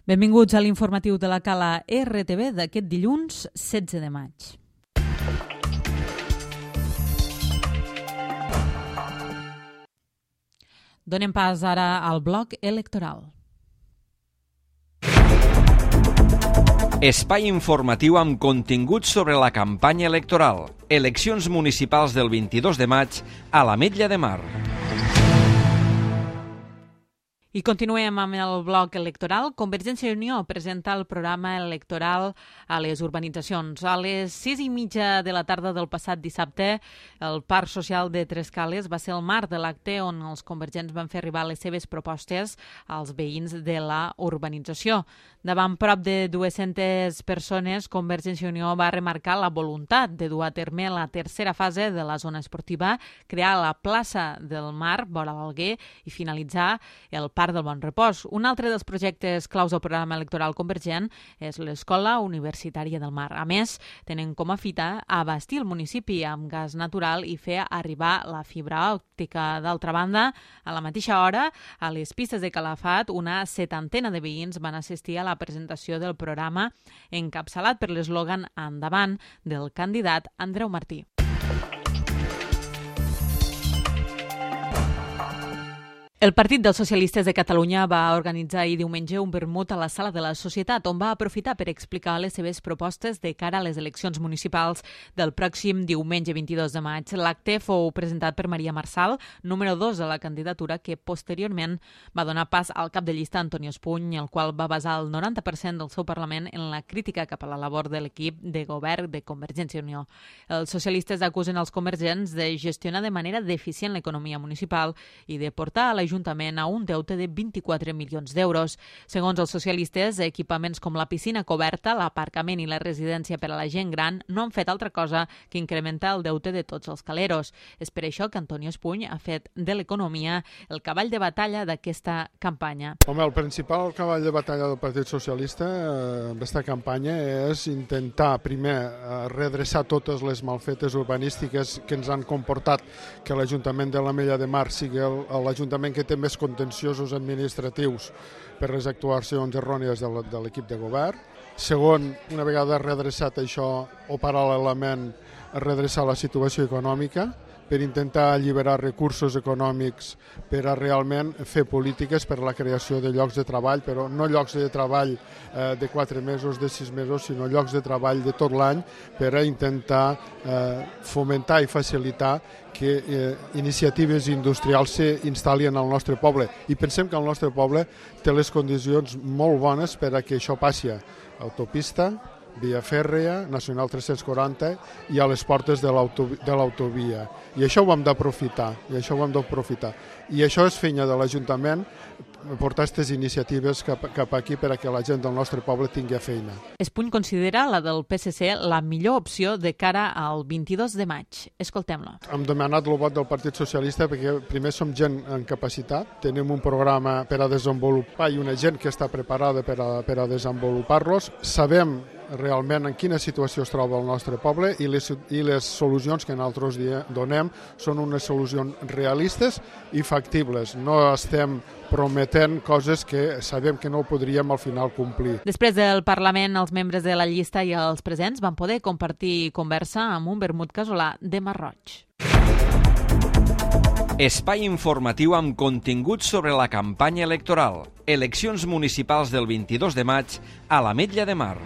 Benvinguts a l'informatiu de la Cala RTV d'aquest dilluns 16 de maig. Donem pas ara al bloc electoral. Espai informatiu amb continguts sobre la campanya electoral. Eleccions municipals del 22 de maig a l'Ametlla de Mar. I continuem amb el bloc electoral. Convergència i Unió presenta el programa electoral a les urbanitzacions. A les 6:30 de la tarda del passat dissabte, el Parc Social de Trescales va ser el marc de l'acte on els convergents van fer arribar les seves propostes als veïns de la urbanització. Davant prop de 200 persones, Convergència i Unió va remarcar la voluntat de dur a terme la tercera fase de la zona esportiva, crear la plaça del Mar, vora l'Alguer, i finalitzar el Parc del Bon Repòs. Un altre dels projectes claus del programa electoral convergent és l'Escola Universitària del Mar. A més, tenen com a fita abastir el municipi amb gas natural i fer arribar la fibra òptica. D'altra banda, a la mateixa hora, a les pistes de Calafat, una 70 de veïns van assistir a la presentació del programa encapçalat per l'eslògan Endavant del candidat Andreu Martí. El Partit dels Socialistes de Catalunya va organitzar ahir diumenge un vermut a la Sala de la Societat, on va aprofitar per explicar les seves propostes de cara a les eleccions municipals del pròxim diumenge 22 de maig. L'acte fou presentat per Maria Marçal, número 2 de la candidatura, que posteriorment va donar pas al cap de llista Antoni Espuny, el qual va basar el 90% del seu Parlament en la crítica cap a la labor de l'equip de govern de Convergència i Unió. Els socialistes acusen els convergents de gestionar de manera deficient l'economia municipal i de portar a l'Ajuntament a un deute de 24 milions d'euros. Segons els socialistes, equipaments com la piscina coberta, l'aparcament i la residència per a la gent gran no han fet altra cosa que incrementar el deute de tots els caleros. És per això que Antoni Espuny ha fet de l'economia el cavall de batalla d'aquesta campanya. Home, el principal cavall de batalla del Partit Socialista en aquesta campanya és intentar, primer, redreçar totes les malfetes urbanístiques que ens han comportat que l'Ajuntament de l'Ametlla de Mar sigui l'Ajuntament que té més contenciosos administratius per les actuacions errònies de l'equip de govern. Segon, una vegada redreçat això, o paral·lelament redreçar la situació econòmica per intentar alliberar recursos econòmics per a realment fer polítiques per a la creació de llocs de treball, però no llocs de treball de 4 mesos, de 6 mesos, sinó llocs de treball de tot l'any per a intentar fomentar i facilitar que iniciatives industrials s'instal·lin al nostre poble. I pensem que el nostre poble té les condicions molt bones per a que això passi. Autopista, via fèrrea, Nacional 340 i a les portes de l'autovia. I això ho hem d'aprofitar, I això és feina de l'Ajuntament, portar aquestes iniciatives cap aquí per a que la gent del nostre poble tingui feina. Espuny considera la del PSC la millor opció de cara al 22 de maig. Escoltem-la. Hem demanat el vot del Partit Socialista perquè primer som gent en capacitat, tenim un programa per a desenvolupar i una gent que està preparada per a desenvolupar-los. Sabem realment en quina situació es troba el nostre poble i les solucions que nosaltres donem són unes solucions realistes i factibles. No estem prometent coses que sabem que no podríem al final complir. Després del Parlament, els membres de la llista i els presents van poder compartir conversa amb un vermut casolà de Marroig. Espai informatiu amb continguts sobre la campanya electoral. Eleccions municipals del 22 de maig a l'Ametlla de Mar.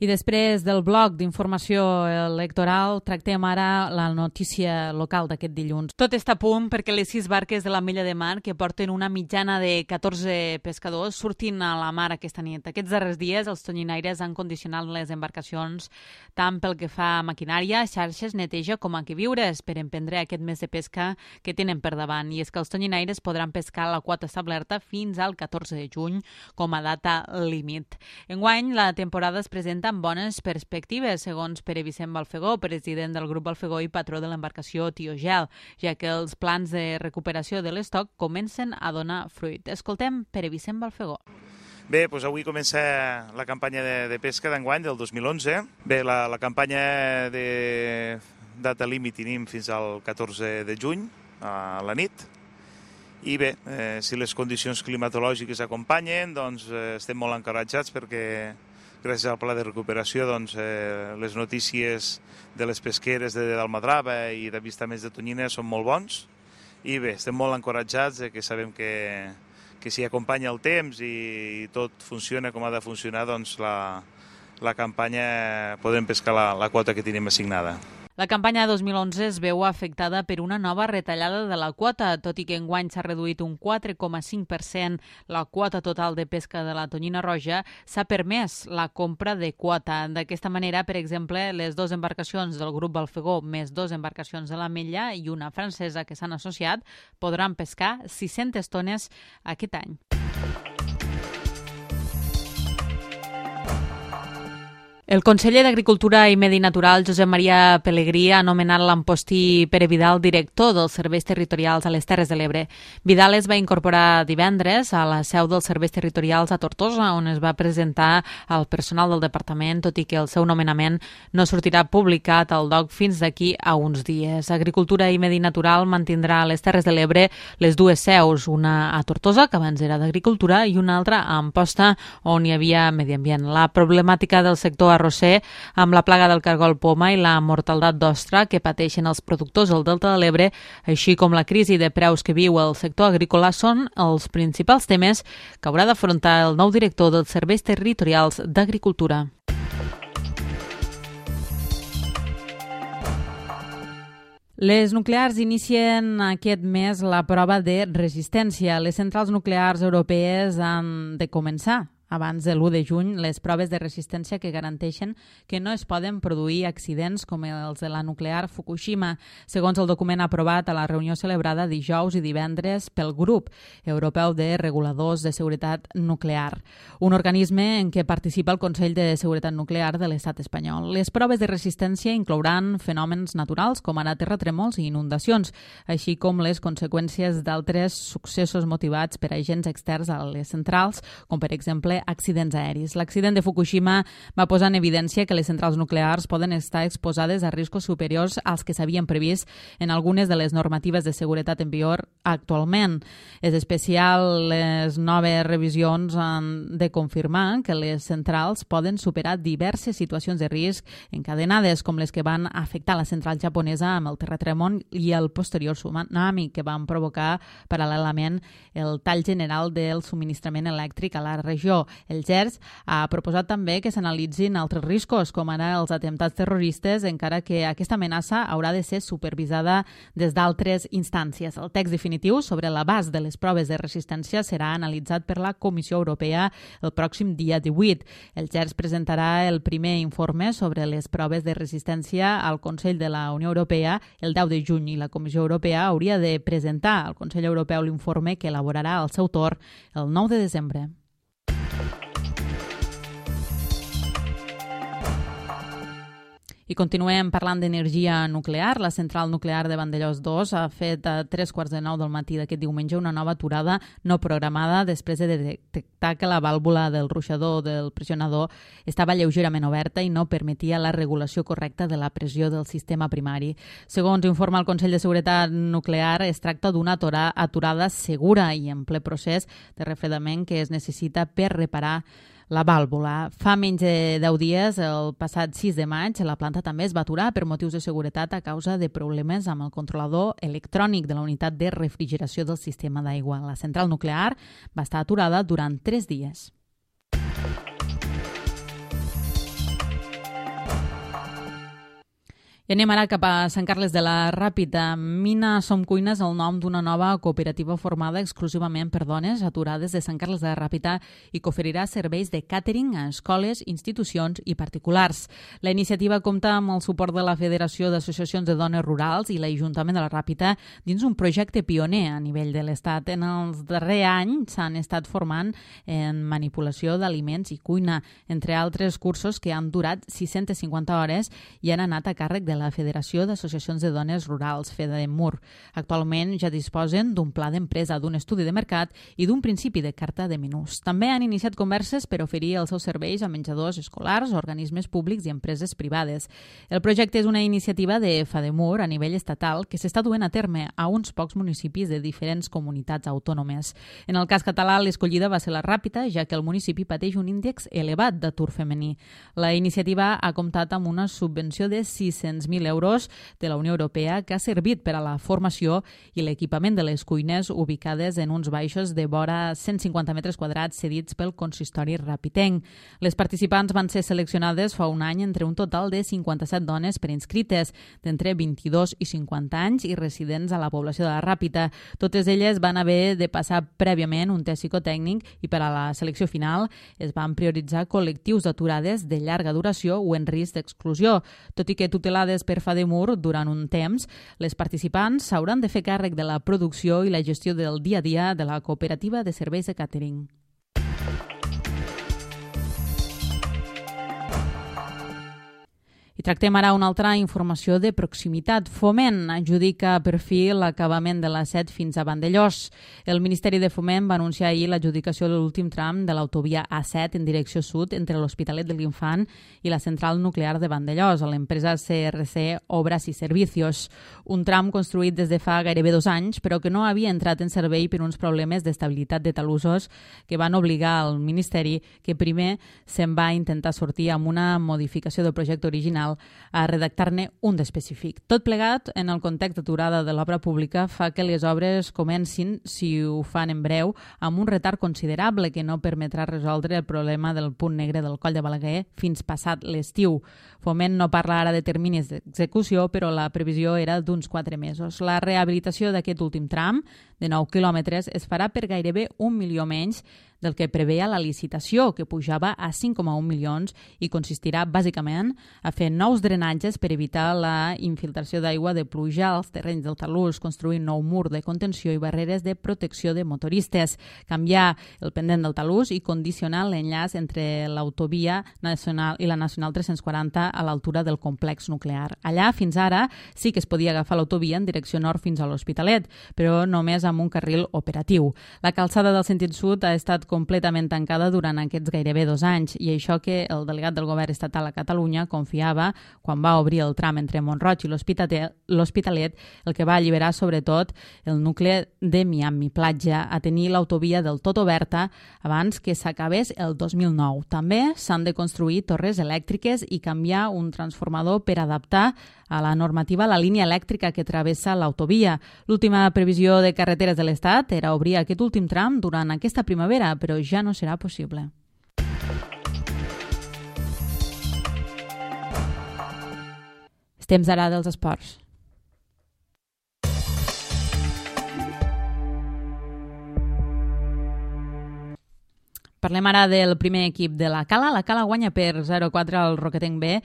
I després del bloc d'informació electoral tractem ara la notícia local d'aquest dilluns. Tot està a punt perquè les 6 barques de l'Ametlla de Mar, que porten una mitjana de 14 pescadors, surtin a la mar aquesta nit. Aquests darrers dies els tonyinaires han condicionat les embarcacions tant pel que fa a maquinària, xarxes, neteja com a queviures per emprendre aquest mes de pesca que tenen per davant. I és que els tonyinaires podran pescar la quota establerta fins al 14 de juny com a data límit. Enguany, la temporada es presenta amb bones perspectives, segons Pere Vicent Balfegó, president del grup Balfegó i patró de l'embarcació Tiogel, ja que els plans de recuperació de l'estoc comencen a donar fruit. Escoltem Pere Vicent Balfegó. Bé, doncs avui comença la campanya de pesca d'enguany del 2011. Bé, la campanya data límit tenim fins al 14 de juny a la nit. I bé, si les condicions climatològiques acompanyen, doncs estem molt encoratjats perquè gràcies al pla de recuperació les notícies de les pesqueres de Dalmadrava i d'avistaments de tonyina són molt bons. I bé, estem molt encoratjats que sabem que si acompanya el temps i tot funciona com ha de funcionar, doncs la campanya podrem pescar la quota que tenim assignada. La campanya 2011 es veu afectada per una nova retallada de la quota, tot i que enguany s'ha reduït un 4,5% la quota total de pesca de la tonyina roja, s'ha permès la compra de quota. D'aquesta manera, per exemple, les 2 embarcacions del grup Balfegó més 2 embarcacions de l'Ametlla i una francesa que s'han associat podran pescar 600 tones aquest any. El conseller d'Agricultura i Medi Natural, Josep Maria Pelegrí, ha nomenat l'Ampostí Pere Vidal director dels serveis territorials a les Terres de l'Ebre. Vidal es va incorporar divendres a la seu dels serveis territorials a Tortosa, on es va presentar al personal del departament, tot i que el seu nomenament no sortirà publicat al DOC fins d'aquí a uns dies. Agricultura i Medi Natural mantindrà a les Terres de l'Ebre les 2 seus, una a Tortosa, que abans era d'Agricultura, i una altra a Amposta, on hi havia Medi Ambient. La problemàtica del sector arrosser, amb la plaga del cargol poma i la mortaldat d'ostra que pateixen els productors del Delta de l'Ebre, així com la crisi de preus que viu el sector agrícola, són els principals temes que haurà d'afrontar el nou director dels serveis territorials d'Agricultura. Les nuclears inicien aquest mes la prova de resistència. Les centrals nuclears europees han de començar abans de l'1 de juny les proves de resistència que garanteixen que no es poden produir accidents com els de la nuclear Fukushima, segons el document aprovat a la reunió celebrada dijous i divendres pel Grup Europeu de Reguladors de Seguretat Nuclear, un organisme en què participa el Consell de Seguretat Nuclear de l'Estat espanyol. Les proves de resistència inclouran fenòmens naturals com ara terratrèmols i inundacions, així com les conseqüències d'altres successos motivats per agents externs a les centrals, com per exemple accidents aèris. L'accident de Fukushima va posar en evidència que les centrals nuclears poden estar exposades a riscos superiors als que s'havien previst en algunes de les normatives de seguretat en vigor actualment. És especial, les noves revisions han de confirmar que les centrals poden superar diverses situacions de risc encadenades, com les que van afectar la central japonesa amb el terratrèmol i el posterior tsunami, que van provocar paral·lelament el tall general del subministrament elèctric a la regió. El GERS ha proposat també que s'analitzin altres riscos, com ara els atemptats terroristes, encara que aquesta amenaça haurà de ser supervisada des d'altres instàncies. El text definitiu sobre l'abast de les proves de resistència serà analitzat per la Comissió Europea el pròxim dia 18. El GERS presentarà el primer informe sobre les proves de resistència al Consell de la Unió Europea el 10 de juny i la Comissió Europea hauria de presentar al Consell Europeu l'informe que elaborarà al seu torn el 9 de desembre. I continuem parlant d'energia nuclear. La central nuclear de Vandellòs 2 ha fet a 3:45 del matí d'aquest diumenge una nova aturada no programada després de detectar que la vàlvula del ruixador del pressionador estava lleugerament oberta i no permetia la regulació correcta de la pressió del sistema primari. Segons informa el Consell de Seguretat Nuclear, es tracta d'una aturada segura i en ple procés de refredament que es necessita per reparar la vàlvula. Fa menys de 10 dies, el passat 6 de maig, la planta també es va aturar per motius de seguretat a causa de problemes amb el controlador electrònic de la unitat de refrigeració del sistema d'aigua. La central nuclear va estar aturada durant 3 dies. I anem ara cap a Sant Carles de la Ràpita. Mina Som Cuina és el nom d'una nova cooperativa formada exclusivament per dones aturades de Sant Carles de la Ràpita i que oferirà serveis de càtering a escoles, institucions i particulars. La iniciativa compta amb el suport de la Federació d'Associacions de Dones Rurals i l'Ajuntament de la Ràpita dins un projecte pioner a nivell de l'Estat. En els darrers anys s'han estat formant en manipulació d'aliments i cuina, entre altres cursos que han durat 650 hores i han anat a càrrec de de la Federació d'Associacions de Dones Rurals, FEDEMUR. Actualment ja disposen d'un pla d'empresa, d'un estudi de mercat i d'un principi de carta de menús. També han iniciat converses per oferir els seus serveis a menjadors escolars, organismes públics i empreses privades. El projecte és una iniciativa de FEDEMUR a nivell estatal que s'està duent a terme a uns pocs municipis de diferents comunitats autònomes. En el cas català, l'escollida va ser la Ràpita, ja que el municipi pateix un índex elevat d'atur femení. La iniciativa ha comptat amb una subvenció de 600.000 euros de la Unió Europea que ha servit per a la formació i l'equipament de les cuines ubicades en uns baixos de vora 150 metres quadrats cedits pel consistori rapitenc. Les participants van ser seleccionades fa un any entre un total de 57 dones preinscrites, d'entre 22 i 50 anys i residents a la població de la Ràpita. Totes elles van haver de passar prèviament un test psicotècnic i per a la selecció final es van prioritzar col·lectius d'aturades de llarga duració o en risc d'exclusió. Tot i que tutelades per FEDEMUR durant un temps, les participants s'hauran de fer càrrec de la producció i la gestió del dia a dia de la cooperativa de serveis de càtering. I tractem ara una altra informació de proximitat. Foment adjudica per fi l'acabament de la C7 fins a Vandellòs. El Ministeri de Foment va anunciar ahir l'adjudicació de l'últim tram de l'autovia A7 en direcció sud entre l'Hospitalet de l'Infant i la central nuclear de Vandellòs, a l'empresa CRC Obras i Servicios. Un tram construït des de fa gairebé 2 anys, però que no havia entrat en servei per uns problemes d'estabilitat de talussos que van obligar al Ministeri que primer se'n va intentar sortir amb una modificació del projecte original a redactar-ne un d'específic. Tot plegat, en el context d'aturada de l'obra pública, fa que les obres comencin, si ho fan en breu, amb un retard considerable que no permetrà resoldre el problema del punt negre del Coll de Balaguer fins passat l'estiu. Foment no parla ara de terminis d'execució, però la previsió era d'uns 4 mesos. La rehabilitació d'aquest últim tram, de 9 quilòmetres, es farà per gairebé 1 milió menys del que preveia la licitació, que pujava a 5,1 milions i consistirà bàsicament a fer nous drenatges per evitar la infiltració d'aigua de pluja als terrenys del talús, construir nou mur de contenció i barreres de protecció de motoristes, canviar el pendent del talús i condicionar l'enllaç entre l'autovia nacional i la nacional 340 a l'altura del complex nuclear. Allà, fins ara, sí que es podia agafar l'autovia en direcció nord fins a l'Hospitalet, però només amb un carril operatiu. La calçada del sentit sud ha estat completament tancada durant aquests gairebé 2 anys i això que el delegat del govern estatal a Catalunya confiava quan va obrir el tram entre Mont-roig i l'Hospitalet, el que va alliberar sobretot el nucli de Miami Platja a tenir l'autovia del tot oberta abans que s'acabés el 2009. També s'han de construir torres elèctriques i canviar un transformador per adaptar a la normativa la línia elèctrica que travessa l'autovia. L'última previsió de carreteres de l'Estat era obrir aquest últim tram durant aquesta primavera, però ja no serà possible. És temps ara dels esports. Parlem ara del primer equip de la Cala. La Cala guanya per 0-4 al Roquetenc B,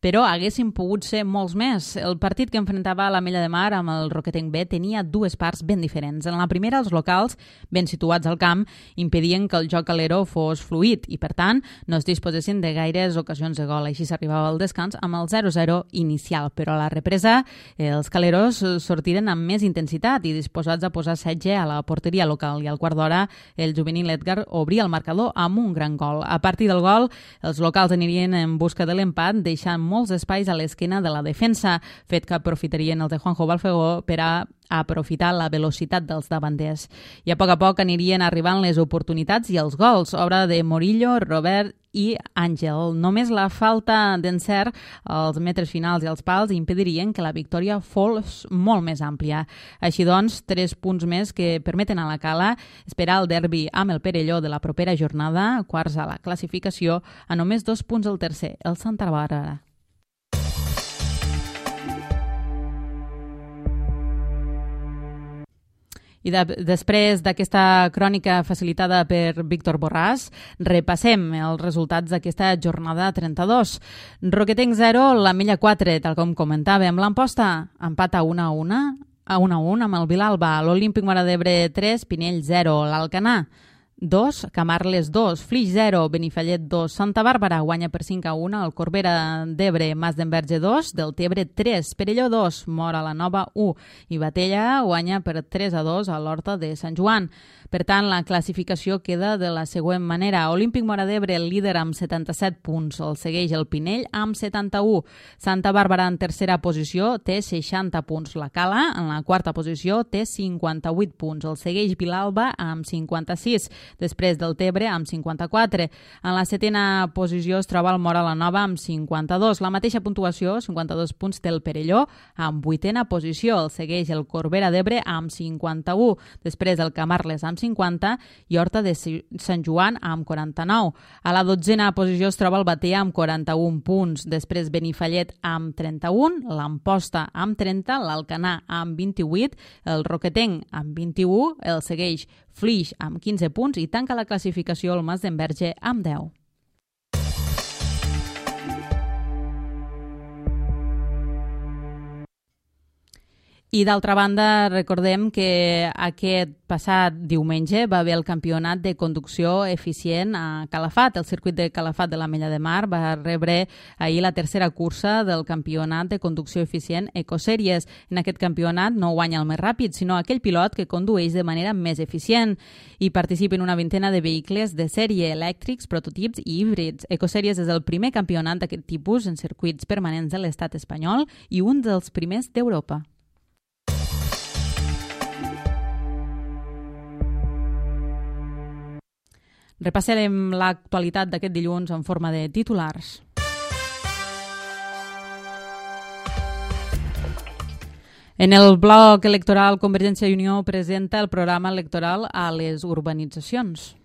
però haguessin pogut ser molts més. El partit que enfrontava l'Ametlla de Mar amb el Roquetenc B tenia 2 parts ben diferents. En la primera, els locals, ben situats al camp, impedien que el joc calero fos fluid i, per tant, no es disposessin de gaires ocasions de gol. Així s'arribava al descans amb el 0-0 inicial. Però a la represa, els caleros sortiren amb més intensitat i disposats a posar setge a la porteria local. I al quart d'hora, el juvenil Edgar obria el marcador amb un gran gol. A partir del gol, els locals anirien en busca de l'empat, deixant molts espais a l'esquena de la defensa, fet que aprofitarien els de Juanjo Balfegó per a aprofitar la velocitat dels davanters. I a poc anirien arribant les oportunitats i els gols, obra de Morillo, Robert i Àngel. Només la falta d'encert als metres finals i als pals impedirien que la victòria fos molt més àmplia. Així doncs, 3 punts més que permeten a la Cala esperar el derbi amb el Perelló de la propera jornada, quarts a la classificació, a només 2 punts el tercer, el Santa Bàrbara. I després d'aquesta crònica facilitada per Víctor Borràs, repassem els resultats d'aquesta jornada 32. Roquetenc 0, l'Ametlla 4, tal com comentàvem. L'Amposta empat a 1-1 amb el Vilalba. L'Olímpic Móra d'Ebre 3, Pinell 0. L'Alcanar 2, Camarles 2, Flix 0, Benifallet 2, Santa Bàrbara guanya per 5-1, el Corbera d'Ebre, Mas d'Enverge 2, Deltebre 3, Perelló 2, Móra la Nova 1 i Batella guanya per 3-2 a l'Horta de Sant Joan. Per tant, la classificació queda de la següent manera. Olímpic Móra d'Ebre, el líder amb 77 punts, el segueix el Pinell amb 71. Santa Bàrbara en tercera posició té 60 punts. La Cala en la quarta posició té 58 punts. El segueix Vilalba amb 56. Després del Tebre amb 54. En la setena posició es troba el Móra la Nova amb 52. La mateixa puntuació, 52 punts, té el Perelló amb vuitena posició. El segueix el Corbera d'Ebre amb 51. Després el Camarles amb 50 i Horta de Sant Joan amb 49. A la dotzena posició es troba el Batea amb 41 punts. Després Benifallet amb 31, l'Amposta amb 30, l'Alcanar amb 28, el Roquetenc amb 21, el segueix Flix amb 15 punts i tanca la classificació el Mas d'Enverge amb 10. I d'altra banda, recordem que aquest passat diumenge va haver el campionat de conducció eficient a Calafat. El circuit de Calafat de l'Ametlla de Mar va rebre ahir la tercera cursa del campionat de conducció eficient Ecosèries. En aquest campionat no guanya el més ràpid, sinó aquell pilot que condueix de manera més eficient. Hi participen una vintena de vehicles de sèrie, elèctrics, prototips i híbrids. Ecosèries és el primer campionat d'aquest tipus en circuits permanents de l'estat espanyol i un dels primers d'Europa. Repassarem l'actualitat d'aquest dilluns en forma de titulars. En el bloc electoral, Convergència i Unió presenta el programa electoral a les urbanitzacions.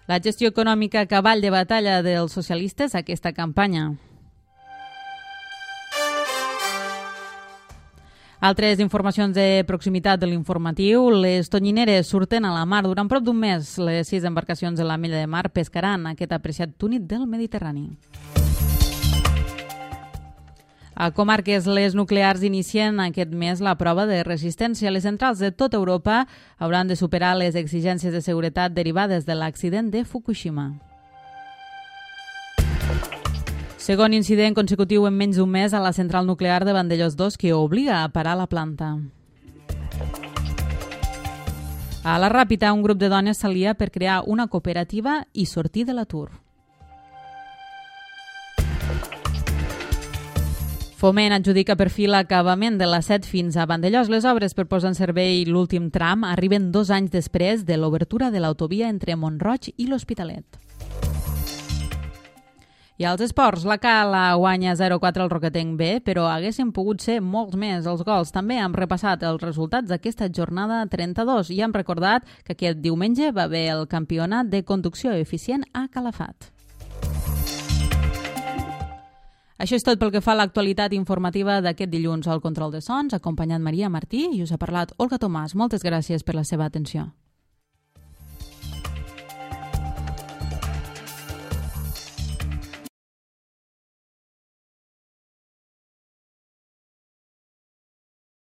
La gestió econòmica cavall de batalla dels socialistes a aquesta campanya. Altres informacions de proximitat de l'informatiu. Les tonyineres surten a la mar. Durant prop d'un mes, les 6 embarcacions de l'Ametlla de Mar pescaran aquest apreciat túnid del Mediterrani. A comarques, les nuclears inicien aquest mes la prova de resistència. Les centrals de tota Europa hauran de superar les exigències de seguretat derivades de l'accident de Fukushima. Segon incident consecutiu en menys d'un mes a la central nuclear de Vandellòs 2 que obliga a parar la planta. A la Ràpita, un grup de dones s'alia per crear una cooperativa i sortir de l'atur. Foment adjudica per fi l'acabament de la 7 fins a Vandellòs. Les obres per posar en servei l'últim tram arriben 2 anys després de l'obertura de l'autovia entre Mont-roig i l'Hospitalet. I als esports, la Cala guanya 0-4 al Roquetenc B, però haguessin pogut ser molts més els gols. També hem repassat els resultats d'aquesta jornada 32 i hem recordat que aquest diumenge va haver el campionat de conducció eficient a Calafat. Això és tot pel que fa a l'actualitat informativa d'aquest dilluns. Al control de sons, acompanyat Maria Martí, i us ha parlat Olga Tomàs. Moltes gràcies per la seva atenció.